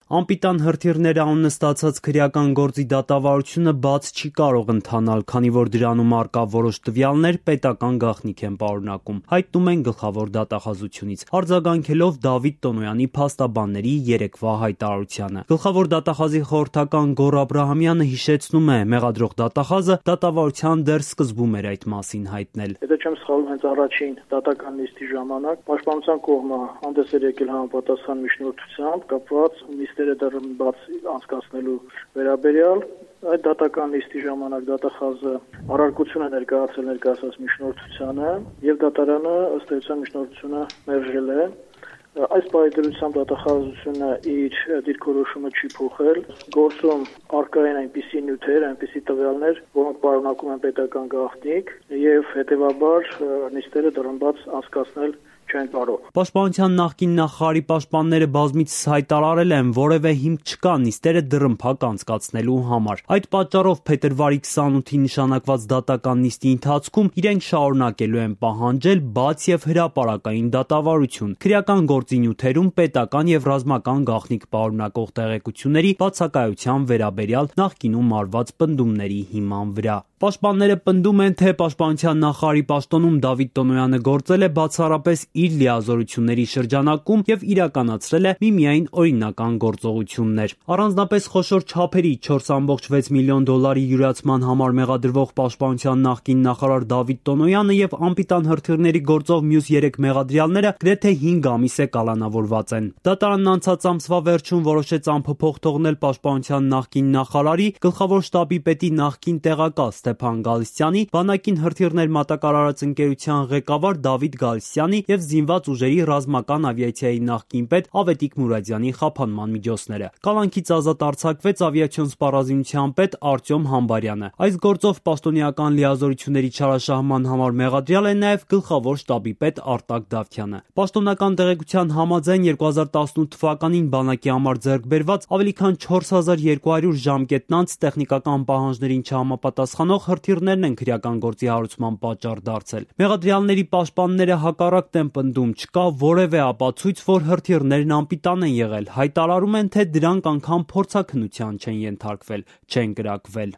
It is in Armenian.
Անպիտան հրթիռներ անունը ստացած քրեական գործի դատավարությունը բաց չի կարող ընթանալ, քանի որ դրանում առկա որոշ տվյալներ պետական գաղտնիք են պարունակում, հայտնում են գլխավոր դատախազությունից, արձագանքելով Դավիթ Տոնոյանի փաստաբանների երեկվա հայտարարությանը։ Գլխավոր դատախազի խորհրդական Գոռ Աբրահամյանը հիշեցնում է, մեղադրող դատախազը դատավարության դեռ սկզբում էր այդ մասին հայտնել։ Եթե չեմ սխալվում, հենց առաջին դատական նիստի ժամանակ պաշտպանության կողմը հանդես էր եկել համապատասխան միջնորդությամբ կապված նիստերը դեռ բաց անցկացնելու վերաբերյալ։ Այդ դատական նիստի ժամանակ դատախազը առարկություն է ներկայացրել ներկայացած միջնորդությանը եւ դատարանը ըստ էության միջնորդությունը մերժել է։ Այս պայմանությամբ դատախազությունը իր դիրքորոշումը չի փոխել։ Գործում առկա են այնպիսի նյութեր, այնպիսի տվյալներ, որոնք պարունակում են պետական գաղտնիք եւ հետեւաբար նիստերը դրամբաց անցկացնել չեն կարող։ Պաշտպանության նախկին նախարարի պաշտպանները բազմիցս հայտարարել են, որևէ հիմք չկա նիստերը դռնփակ անցկացնելու համար։ Այդ պատճառով փետրվարի 28-ի նշանակված դատական նիստի ընթացքում իրենք շարունակելու են պահանջել բաց եւ հրապարակային դատավարություն քրեական գործի նյութերում պետական եւ ռազմական գաղտնիք պարունակող տեղեկությունների բացակայության վերաբերյալ նախկինում արված պնդումների հիման վրա։ Պաշտպանները պնդում են, թե պաշտպանության նախարարի պաշտոնում Դավիթ Տոնոյանը գործել է բացառապես իր լիազորությունների շրջանակում եւ իրականացրել է միմիայն օրինական գործողություններ։ Առանձնապես խոշոր չափերի 4.6 միլիոն դոլարի յուրացման համար մեղադրվող պաշտպանության նախկին նախարար Դավիթ Տոնոյանը եւ անպիտան հրթիռների գործով մյուս 3 մեղադրյալները գրեթե 5 ամիս է կալանավորված են։ Դատարանն անցած ամսվա վերջում որոշեց անփոփոխ թողնել պաշտպանության նախկին նախարարի, գլխավոր շտաբի պետի նախկին տեղակալ Ստեփան Գալստյանի, բանակին հրթիռներ մատակարարած ընկերության ղեկավար Դավիթ Գալստյանի եւ զինված ուժերի ռազմական ավիացիայի նախկին պետ Ավետիք Մուրադյանի խափանման միջոցները։ Կալանքից ազատ արձակվեց ավիացիոն սպառազինության պետ Արտյոմ Համբարյանը։ Այս գործով պաշտոնեական լիազորությունների չարաշահման համար մեղադրյալ է նաեւ գլխավոր շտաբի պետ Արտակ Դավթյանը։ Պաշտոնական տեղեկության համաձայն 2018 թվականին բանակի համար ձեռք բերված ավելի քան 4200 ժամկետնանց տեխնիկական պահանջներին չհամապատասխանող հրթիռներն են քրեական գործի հարուցման պատճառ դարձել։ Մեղադրյալների պաշտպանները հակառակն են պնդում, չկա որևէ ապացույց, որ հրթիռներն անպիտան են եղել, հայտարարում են, թե դրանք անգամ փորձաքննության չեն ենթարկվել, չեն կրակվել։